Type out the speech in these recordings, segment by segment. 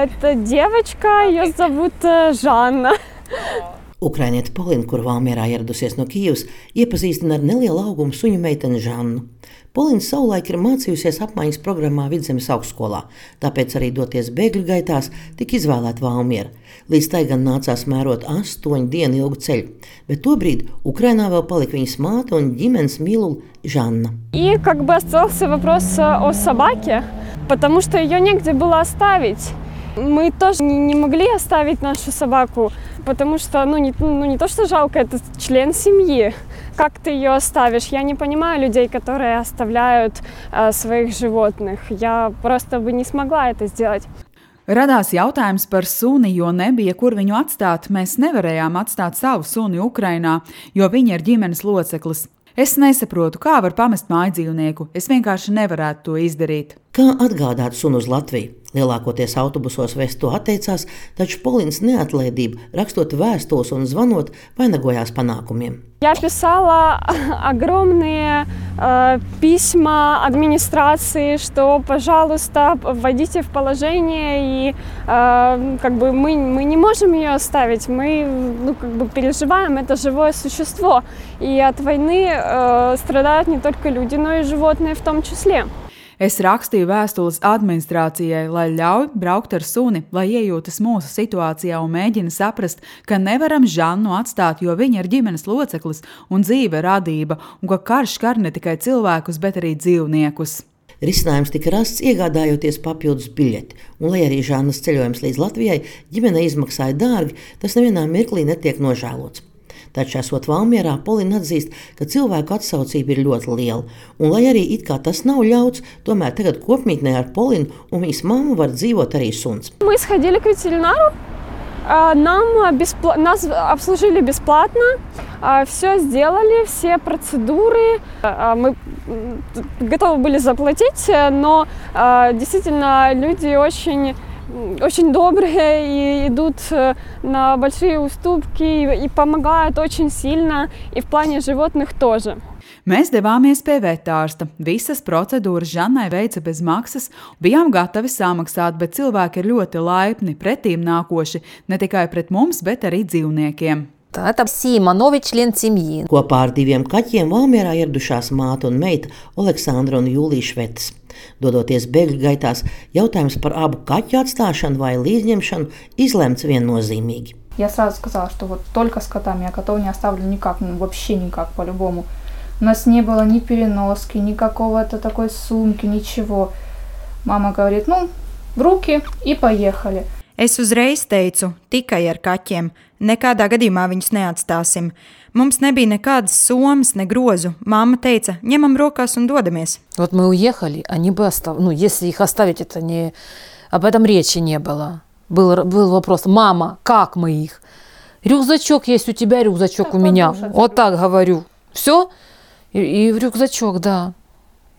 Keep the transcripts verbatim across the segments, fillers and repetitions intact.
Это девочка, ее зовут Жанна. Ukrainiete Polina, kur Valmierā ieradusies no Kijevas, iepazīstina ar nelielu augumu suņu meiteni Žannu. Polina savulaik ir mācījusies apmaiņas programmā Vidzemes augstskolā, tāpēc arī doties bēgļu gaitās tika izvēlēta Valmiera. Līdz tai gan nācās mērot astoņu dienu ilgu ceļu, bet tobrīd Ukrainā vēl palika viņas māte un ģimenes mīlule Žanna. И как бы остался вопрос о собаке, потому что ее негде было оставить. Мы тоже не могли оставить нашу собаку, потому что, ну не, ну, не то, что жалко, это член семьи. Как ты ее оставишь? Я не понимаю людей, которые оставляют э, своих животных. Я просто бы не смогла это сделать. Radās jautājums par suni, jo nebija, kur viņu atstāt. Mēs nevarējām atstāt savu suni Ukrainā, jo viņa ir ģimenes loceklis. Es nesaprotu, kā var pamest mājdzīvnieku. Es vienkārši nevarētu to izdarīt. Kā atgādāt sunu uz Latviju? Lielākoties autobusos vest to atteicās, taču Polinas neatlaidība, rakstot vēstules un zvanot, vainagojās panākumiem. Я писала огромные э, письма администрации, что, пожалуйста, вводите в положение, и э, как бы мы, мы не можем ее оставить, мы ну, как бы переживаем, это живое существо, и от войны э, страдают не только люди, но и животные в том числе. Es rakstīju vēstules administrācijai, lai ļauj braukt ar suni, lai iejūtas mūsu situācijā un mēģina saprast, ka nevaram Žannu atstāt, jo viņa ir ģimenes loceklis un dzīve radība, un ka karš skar ne tikai cilvēkus, bet arī dzīvniekus. Risinājums tika rasts iegādājoties papildus biļeti, un lai arī Žannas ceļojums līdz Latvijai ģimenei izmaksāja dārgi, tas nevienā mirklī netiek nožēlots. Taču, esot Valmierā, Polina atzīst, ka cilvēku atsaucība ir ļoti liela, un lai arī it kā tas nav ļauts, tomēr tagad kopmītnē ar Polinu un viņas mammu var dzīvot arī suns. Мы сходили к ветеринару, нам беспла... нас обслужили бесплатно, все сделали, все процедуры, мы готовы были заплатить, но действительно люди очень... очень добрые и идут на большие уступки и помогают очень сильно, и в плане животных тоже. Mēs devāmies pie vetārsta. Visas procedūras Žannai veica bez maksas, bijām gatavi samaksāt, bet cilvēki ir ļoti laipni, pretīm nākoši, ne tikai pret mums, bet arī dzīvniekiem. Это Сима, новый член семьи. Kopā ar diviem kaķiem Valmierā ieradušās māte un meita Aleksandra un Jūlija Švetes. Dodoties bēgļu gaitās, jautājums par abu kaķu atstāšanu vai līdzņemšanu izlemts viennozīmīgi. Я сразу сказала, что вот только с котами, я котов не оставлю никак, ну, вообще никак, по-любому. У нас не было ни переноски, ни какого-то такой сумки, ничего. Мама говорит, ну, в руки и поехали. Es uzreiz teicu, tikai ar kaķiem. Nekādā gadījumā viņus neatstāsim. Mums nebija nekādas somas, ne grozu. Mamma teica, ņemam rokās un dodamies. Вот мы уехали, они бы оставили, ну, если их оставить, это не... Об этом речи не было. Был, был вопрос, мама, как мы их? Рюкзачок есть у тебя, рюкзачок у меня. Вот так говорю. Все? И, и в рюкзачок, да.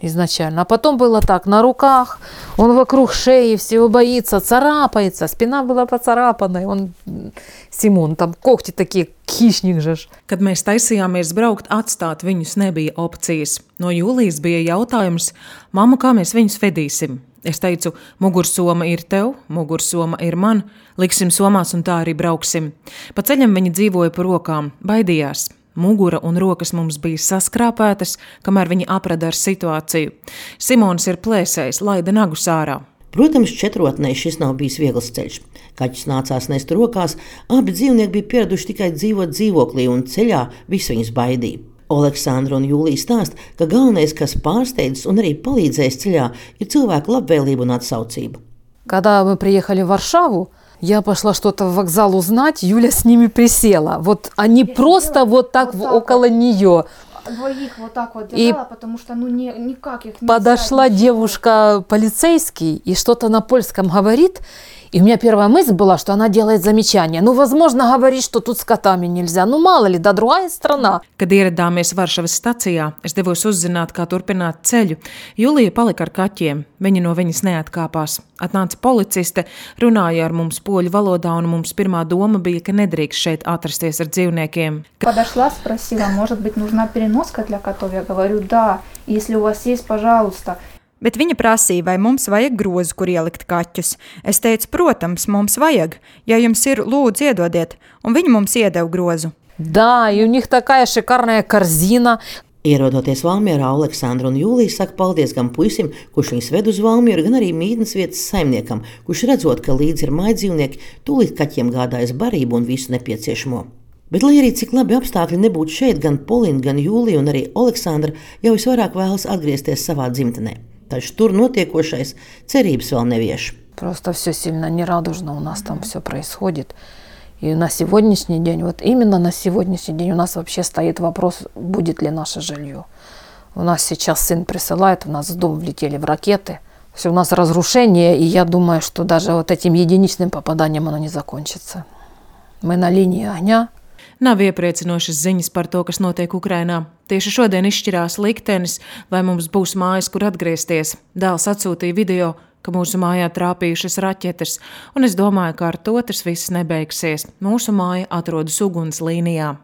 Изначально. А потом было так, на руках, он вокруг шеи, всего боится, царапается, спина была поцарапанная, он, Simon, tam kokti такие, хищник же. Kad mēs taisījāmies braukt, atstāt viņus nebija opcijas. No Jūlijas bija jautājums, mamma, kā mēs viņus vedīsim? Es teicu, mugursoma ir tev, mugursoma ir man, liksim somās un tā arī brauksim. Pa ceļam viņi dzīvoja pa rokām, baidījās. Mugura un rokas mums bija saskrāpētas, kamēr viņi aprada ar situāciju. Simons ir plēsējis, laida nagus ārā. Protams, četrotnei šis nav bijis viegls ceļš. Kaķus nācās nest rokās, abi dzīvnieki bija pieraduši tikai dzīvot dzīvoklī un ceļā viss viņus baidīja. Aleksandra un Jūlija stāsta, ka galvenais, kas pārsteidzis un arī palīdzējis ceļā, ir cilvēku labvēlība un atsaucība. Когда мы приехали в Варшаву, я пошла что-то в вокзал узнать, Юля с ними присела. Вот они я просто вот так вот около вот. Нее. Двоих вот так вот держала, потому что ну не, никак их не подошла взять, девушка полицейский и что-то на польском говорит. И у меня первая мысль была, что она делает замечание. Ну, возможно, говорит, что тут с котами нельзя. Ну, мало ли, да другая страна. Kad ieradāmies Varšavas stacijā, es devos uzzināt, kā turpināt ceļu. Julija palika ar kaķiem. Viņa no viņas neatkāpās. Atnāca policiste, runāja ar mums poļu valodā, un mums pirmā doma bija, ka nedrīkst šeit atrasties ar dzīvniekiem. Подошла, спросила, может быть, нужна переноска для котов? Я говорю, да, если у вас есть, пожалуйста. Bet viņa prasīja, vai mums vajag grozu, kur ielikt kaķus. Es teicu, protams, mums vajag. Ja jums ir, lūdzu, iedodiet. Un viņi mums iedeva grozu. Да, и у них такая шикарная корзина. Ierodoties Valmierā, Aleksandra un Jūlija saka paldies gan puisim, kurš viņus ved uz Valmieru, gan arī mītnes vietas saimniekam, kurš redzot, ka līdzi ir mājdzīvnieki, tūlīt kaķiem gādājas barību un visu nepieciešamo. Bet, lai arī cik labi apstākļi nebūtu šeit, gan Polina, gan Jūlija un arī Aleksandra jau visvairāk vēlas atgriezties savā dzimtenē. Taču tur notiekošais cerības vēl nevieš. Просто все сильно нерадужно у нас там все происходит. И на сегодняшний день, вот именно на сегодняшний день у нас вообще стоит вопрос, будет ли наше жилье. У нас сейчас сын присылает, у нас в дом влетели в ракеты. Все, у нас разрушение, и я думаю, что даже вот этим единичным попаданием оно не закончится. Мы на линии огня. Nav iepriecinošas ziņas par to, kas notiek Ukrainā. Tieši šodien izšķirās liktenis, vai mums būs mājas, kur atgriezties. Dēls atsūtīja video, ka mūsu mājā trāpījušas raķetes, un es domāju, ka ar to tas viss nebeigsies. Mūsu māja atrodas uguns līnijā.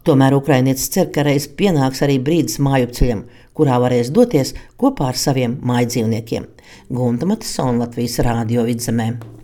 Tomēr ukrainietis cer, ka reiz pienāks arī brīdis mājupceļam, kurā varēs doties kopā ar saviem mājdzīvniekiem. Gunta Matisona, Latvijas Rādio Vidzemē.